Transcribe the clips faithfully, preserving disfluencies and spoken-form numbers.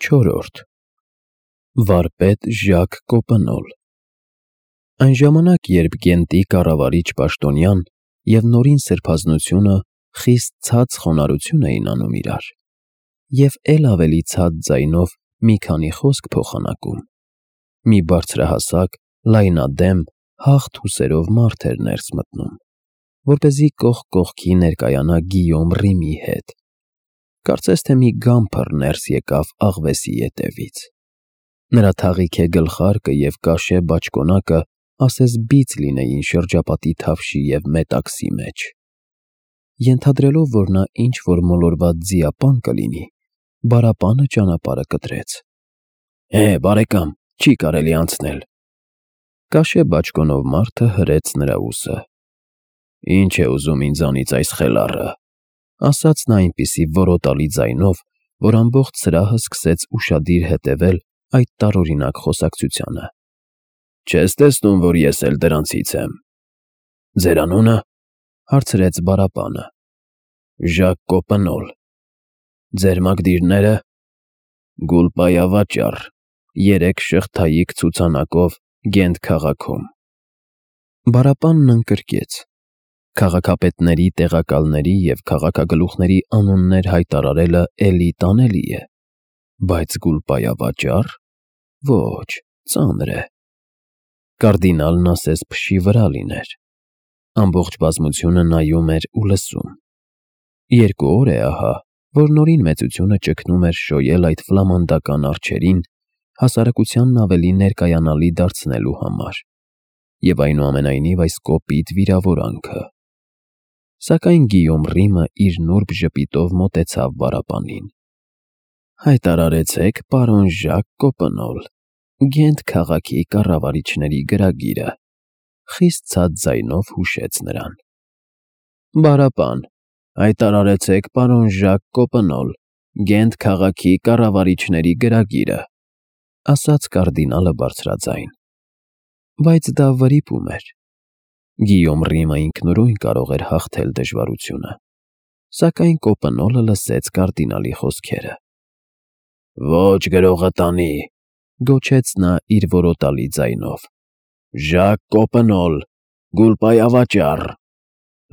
Չորրորդ Վարպետ Ժակ Կոպենոլ Այն ժամանակ, երբ Գենտի կառավարիչ պաշտոնյան և Նորին սրբազնությունը խիստ ցած խոնարհություն էին անում իրար, և էլ ավելի ցած ձայնով մի քանի խոսք փոխանակում, մի բարձրահասակ, լայնադեմ, հաղթ ուսերով մարդ էր ներս մտնում, որպեսզի կողք կողքի ներկայանա Գիյոմ Ռիմի հետ, կարծես թե մի գամբր ներս եկավ աղվեսի ետևից. նրա թաղիքե գլխարկը և կաշե բաճկոնակը ասես բիծ լինեին շրջապատի թավշի և մետաքսի մեջ. ենթադրելով, որ նա ինչ-որ մոլորված ձիապան կլինի, Բարապանը ճանապարհը կտրեց. Է, բարեկամ, չի կարելի անցնել: Կաշե բաճկոնով մարդը հրեց նրա ուսը. Ի՞նչ է ուզում ինձանից այս խելառը, ասաց նա այնպիսի որոտալի ձայնով, որ ամբողջ սրահը սկսեց ուշադիր հետևել այդ տարօրինակ խոսակցությանը. Չես տեսնում, որ ես էլ դրանցից եմ: Ձեր անո՞ւնը, հարցրեց Բարապանը: Ժակ Կոպենոլ: Ձեր մակդիրնե՞րը: Գուլպայավաճառ, երեք շղթայիկ ցուցանակով Գենտ քաղաքում: Բարապանն ընկրկեց. Քաղաքապետների, տեղակալների և քաղաքագլուխների անուններ հայտարարելը էլի տանելի է, բայց գուլպայավաճառ, ոչ, ծանր է: Կարդինալն ասես փշի վրա լիներ: Ամբողջ բազմությունը նայում էր ու լսում: Երկու օր է ահա, որ Նորին մեծությունը ճգնում էր շոյել այդ ֆլամանդական արջերին հասարակությանն ավելի ներկայանալի դարձնելու համար, և այնուամենայնիվ այս կոպիտ վիրավորանքը: Սակայն Գիյոմ Ռիմը իր նուրբ ժպիտով մոտեցավ Բարապանին. Հայտարարեցեք, պարոն Ժակ Կոպենոլ, Գենտ քաղաքի կառավարիչների գրագիրը, խիստ ցած ձայնով հուշեց նրան: Բարապան, հայտարարեցեք, պարոն Ժակ Կոպենոլ, Գենտ քաղաքի կառավարիչների գրագիրը, ասաց կարդինալը բարձրաձայն: Բայց դա վրիպում էր: Գիյոմ Ռիմը ինքնուրույն կարող էր հաղթել դժվարությունը, սակայն Կոպենոլը լսեց կարդինալի խոսքերը: Ոչ գրողը տանի, գոչեց նա իր որոտալի ձայնով: Ժակ Կոպենոլ, գուլպայավաճառ: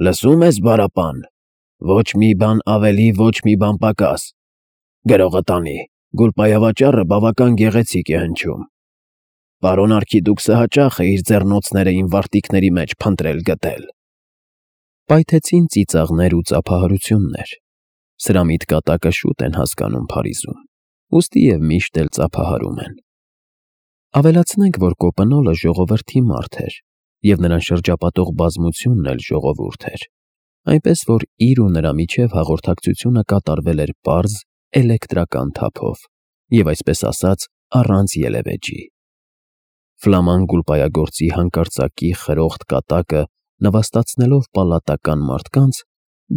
Լսո՞ւմ ես, Բարապան, ոչ մի բան ավելի, ոչ մի բան պակաս: Գրողը տանի, գուլպայավաճառը բավական գեղեցիկ է հնչում: Պարոն արքիդուքսը հաճախ է իր ձեռնոցները իմ վարտիքների մեջ փնտրել֊գտել: Պայթեցին ծիծաղներ ու ծափահարություններ: Սրամիտ կատակը շուտ են հասկանում Փարիզում, ուստի և միշտ էլ ծափահարում են: Ավելացնենք, որ Կոպենոլը ժողովրդի մարդ էր և նրան շրջապատող բազմությունն էլ ժողովուրդ էր, այնպես որ իր ու նրա միջև հաղորդակցությունը կատարվել էր պարզ, էլեկտրական թափով և, այսպես ասած, առանց ելևէջի: Ֆլաման գուլպայագործի հանկարծակի խրոխտ կատակը նվաստացնելով պալատական մարդկանց,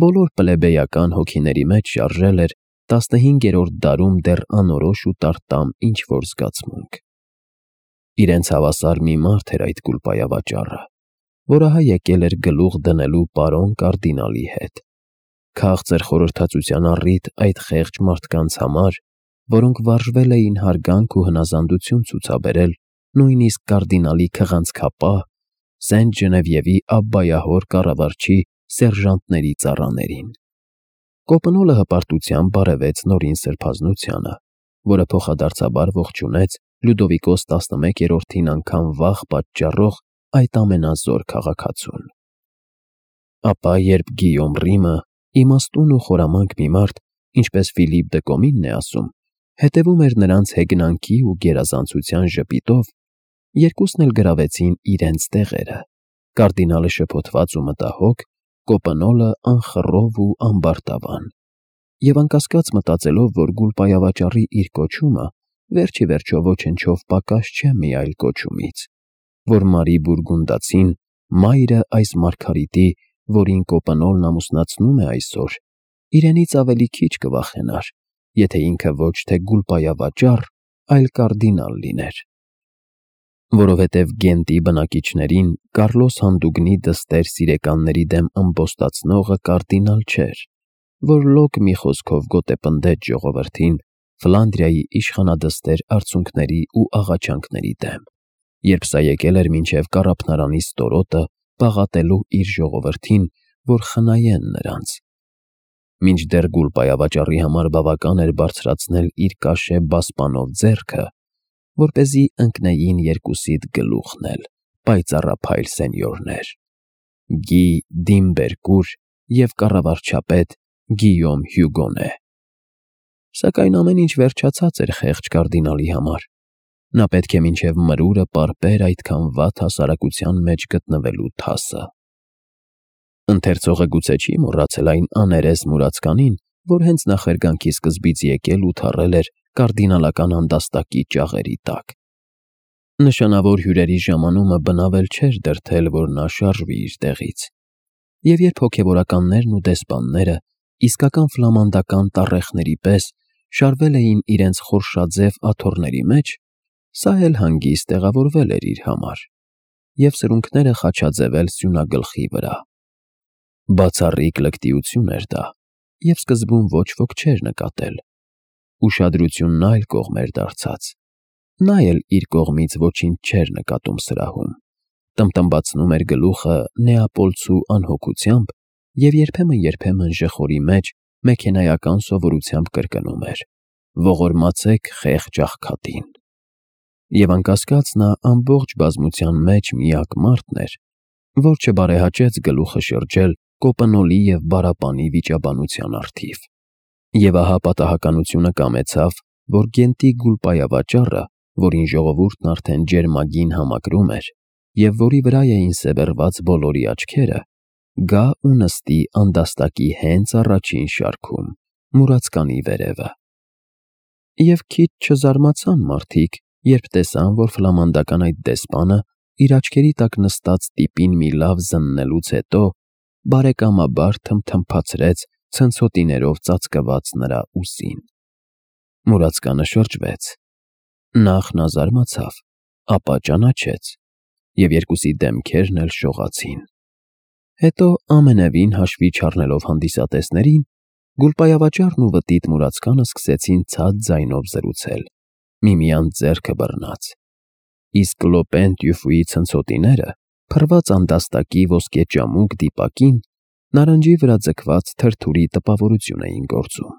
բոլոր պլեբեյական հոգիների մեջ շարժել էր տասնհինգերորդ դարում դեռ անորոշ ու տարտամ ինչ-որ զգացմունք: Իրենց հավասար մի մարդ էր այդ գուլպայավաճառը, որ ահա եկել էր գլուխ դնելու պարոն կարդինալի հետ: Քաղցր խորհրդածության առիթ այդ խեղճ մարդկանց համար, որոնք վարժվել էին հարգանք ու հնազանդություն ցուցաբերել նույնիսկ կարդինալի քղանցքապահ, Սենտ Ժնևիևի Աբբայահոր կառավարչի սերժանտների ծառաներին: Կոպենոլը հպարտությամբ բարևեց Նորին սրբազնությանը, որը փոխադարձաբար ողջունեց Լյուդովիկոս տասնմեկերորդին անգամ վախ պատճառող այդ ամենազոր քաղաքացուն: Ապա երբ Գիյոմ Ռիմը, իմաստուն ու խորամանկ մի մարդ, ինչպես Ֆիլիպ դը Կոմինն է ասում, հետևում էր նրանց հեգնանքի ու գերազանցության ժպիտով, երկուսն էլ գրավեցին իրենց տեղերը: Կարդինալը շփոթված ու մտահոգ, Կոպենոլը անխռով ու ամբարտավան: Եվ անկասկած մտածելով, որ գուլպայավաճառի իր կոչումը վերջ ի վերջո ոչնչով պակաս չէ մի այլ կոչումից, որ Մարի Բուրգունդացին, մայրը այս մարգարիտի, որին Կոպենոլն ամուսնացնում է այսօր, իրենից ավելի քիչ կվախենար, եթե ինքը ոչ թե գուլպայավաճառ, այլ կարդինալ լիներ: Որովհետև Գենտի բնակիչներին Կառլոս հանդուգնի դստեր սիրեկանների դեմ ըմբոստացնողը կարդինալ չէր, որ լոկ մի խոսքով գոտեպնդեց ժողովրդին, Ֆլանդրիայի իշխանադստեր արցունքների ու աղաչանքների դեմ, երբ սա եկել էր մինչև կառափնարանի ստորոտը պաղատելու իր ժողովրդին, որ խնայեն նրանց։ Մինչդեռ գուլպայավաճառի համար բավական էր բարձրացնել իր կաշե բասպանով ձեռքը, որպեսզի ընկնեին երկուսիդ գլուխն էլ, պայծառափայլ սենյորներ, Գի Դիմբերկուր և կառավարչապետ Գիյոմ Հյուգոնե։ Սակայն ամեն ինչ վերջացած էր խեղճ կարդինալի համար։ Նա պետք է մինչև մրուրը պարպեր այդքան վատ հասարակության մեջ գտնվելու թասը։ Ընթերցողը գուցե չի մոռացել այն աներես մուրացկանին, որ հենց նախերգանքի սկզբից եկել ու թռել էր կարդինալական անդաստակի ճաղերի տակ։ Նշանավոր հյուրերի ժամանումը բնավ էլ չէր դրդել, որ նա շարժվի իր տեղից։ Եվ երբ հոգևորականներն ու դեսպանները իսկական ֆլամանդական տառեխների պես շարվել էին իրենց խորշաձև աթոռների մեջ, սա էլ հանգիստ տեղավորվել էր իր համար և սրունքները խաչաձևել սյունագլխի վրա։ Բացառիկ լկտիություն էր դա, և սկզբում ոչ ոք չէր նկատել։ Ուշադրությունն այլ կողմ էր դարձած։ Նա էլ իր կողմից ոչինչ չէր նկատում սրահում, տմտմբացնում էր գլուխը նեապոլցու անհոգությամբ և երբեմն-երբեմն ժխորի մեջ մեքենայական սովորությամբ կրկնում էր. «Ողորմացեք խեղճ աղքատին»։ Եվ անկասկած նա ամբողջ բազմության մեջ միակ մարդն էր, որ չբարեհաճեց գլուխը շրջել կոպնոլի և բառապանի վիճաբանության առթիվ։ Եվ ահա պատահականությունը կամեցավ, որ Գենտի գուլպայավաճառը, որին ժողովուրդն արդեն ջերմագին համակրում էր, և որի վրա էին սևեռված բոլորի աչքերը, գա ու նստի անդաստակի հենց առաջին շարքում, մուրացկանի վերևը։ Եվ քիչ չզարմացան մարդիկ, երբ տեսան, որ ֆլամանդական այդ դեսպանը իր աչքերի տակ նստած տիպին մի լավ զննելուց հետո բարեկամաբար թմթմփացրեց ցնցոտիներով ծածկված նրա ուսին։ Մուրացկանը շրջվեց։ Նախ նա զարմացավ, ապա ճանաչեց, և երկուսի դեմքերն էլ շողացին։ Հետո ամենևին հաշվի չառնելով հանդիսատեսներին, գուլպայավաճառն ու վտիտ մուրացկանը սկսեցին ցած ձայնով զրուցել, միմյանց ձեռքը բռնած։ Իսկ Լոպեն տյուֆուի ցնցոտիները, փռված անդաստակի ոսկեճամուկ դիպակին, նարնջի վրա ձգված թրթուրի տպավորություն էին գործում։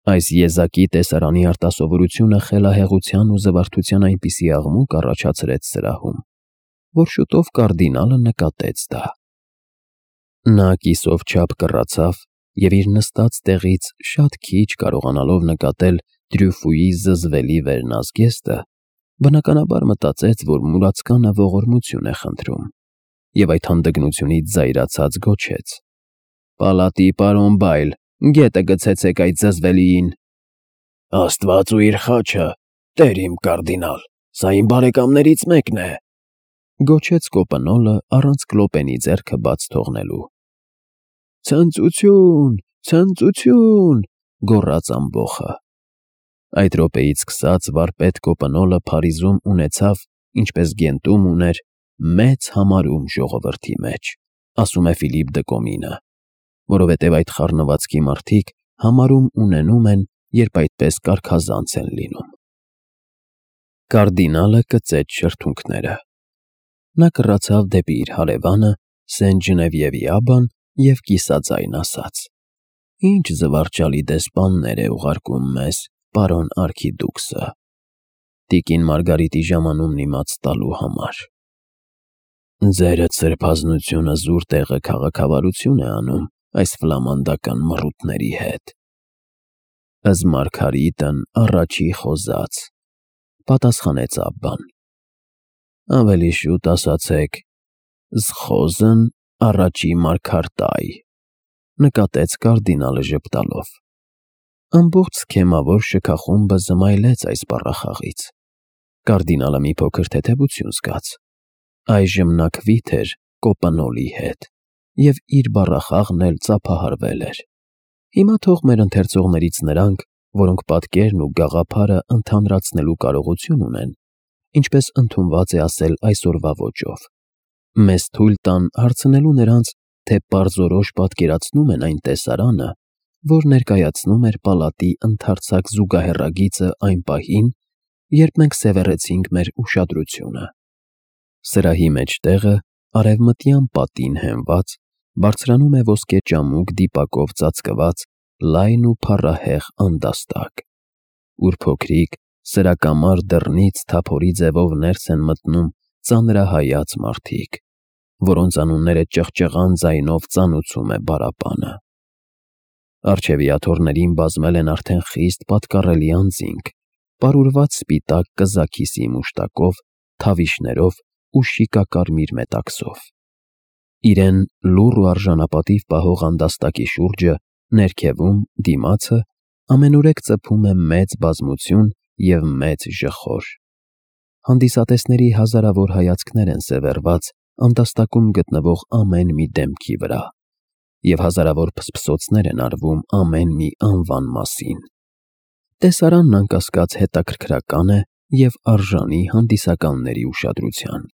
Այս եզակի տեսարանի արտասովորությունը խելահեղության ու զվարթության այնպիսի աղմուկ առաջացրեց սրահում, որ շուտով կարդինալը նկատեց դա։ Նա կիսով չափ կռացավ և իր նստած տեղից շատ քիչ կարողանալով նկատել Տրյուֆուի զզվելի վերնազգեստը, բնականաբար մտածեց, որ մուրացկանը ողորմություն է խնդրում, և այդ հանդգնությունից զայրացած գոչեց. «Պալատի պարոն Բայլ, գետը գցեցեք այդ զզվելիին»։ «Աստված ու իր խաչը, տեր իմ կարդինալ, սա իմ բարեկամներից մեկն է», գոչեց կոպնոլը առանց Կլոպենի ձեռքը բաց թողնելու։ «Ցնծություն, ցնծություն», գոռաց ամբոխը։ Այդ րոպեից սկսած վարպետ կոպնոլը Փարիզում ունեցավ, ինչպես Գենտում ուներ, մեծ համարում ժողովրդի մեջ, ասում է Ֆիլիպ դը Կոմինը, որովհետև այդ խառնվածքի մարդիկ համարում ունենում են, երբ այդպես կարգազանց են լինում։ Կարդինալը կծեց շրթունքները։ Նա կռացավ դեպի իր հարևանը Սեն Ժնևիևի աբան և կիսաձայն ասաց. «Ինչ զվարճալի դեսպաններ է ուղարկում մեզ պարոն արքիդուքսը, տիկին Մարգարիտի ժամանումն իմաց տալու համար։ Ձերդ սրբազնությունը զուր տեղը քաղաքավարություն է անում այս ֆլամանդական մռութների հետ»։ «Ըզ Մարգարիտն առաջի խոզած», պատասխանեց աբբան։ «Ավելի շուտ ասացեք, զխոզն առաջի մարգարտայ», նկատեց կարդինալը ժպտալով։ Ամբողջ սքեմավոր շքախումբը զմայլեց այս բառախաղից։ Կարդինալը մի փոքր թեթևություն զգաց։ Այժմ նա քվիթ էր կոպնոլի հետ, և իր բառախաղն էլ ծափահարվել էր։ Հիմա թող մեր ընթերցողներից նրանք, որոնք պատկերն ու գաղափարը ընդհանրացնելու կարողություն ունեն, ինչպես ընդունված է ասել այսօրվա ոճով, մեզ թույլ տան հարցնելու նրանց, թե պարզորոշ պատկերացնում են այն տեսարանը, որ ներկայացնում էր պալատի ընդարձակ զուգահեռագիծը այն պահին, երբ մենք սևեռեցինք մեր ուշադրությունը։ Սրահի մեջտեղը, արևմտյան պատին հենված, բարձրանում է ոսկե ճամուկ դիպակով ծածկված լայն ու փառահեղ անդաստակ, ուր փոքրիկ, սրակամար դռնից թափորի ձևով ներս են մտնում ծանրահայաց մարդիկ, որոնց անունները ճղճղան ձայնով ծանուցում է բարապանը։ Առջևի աթոռներին բազմել են արդեն խիստ պատկառելի անձինք, պարուրված սպիտակ կզաքիսի մուշտակով, թավիշներով ու շիկակարմիր մետաքսով։ Իրեն լուռ ու արժանապատիվ պահող անդաստակի շուրջը, ներքևում, դիմացը, ամենուրեք ծփում է մեծ բազմություն և մեծ ժխոր։ Հանդիսատեսների հազարավոր հայացքներ են սևեռված անդաստակում գտնվող ամեն մի դեմքի վրա, և հազարավոր փսփսոցներ են արվում ամեն մի անվան մասին։ Տեսարանն անկասկած հետաքրքրական է և արժանի հանդիսականների ուշադրության։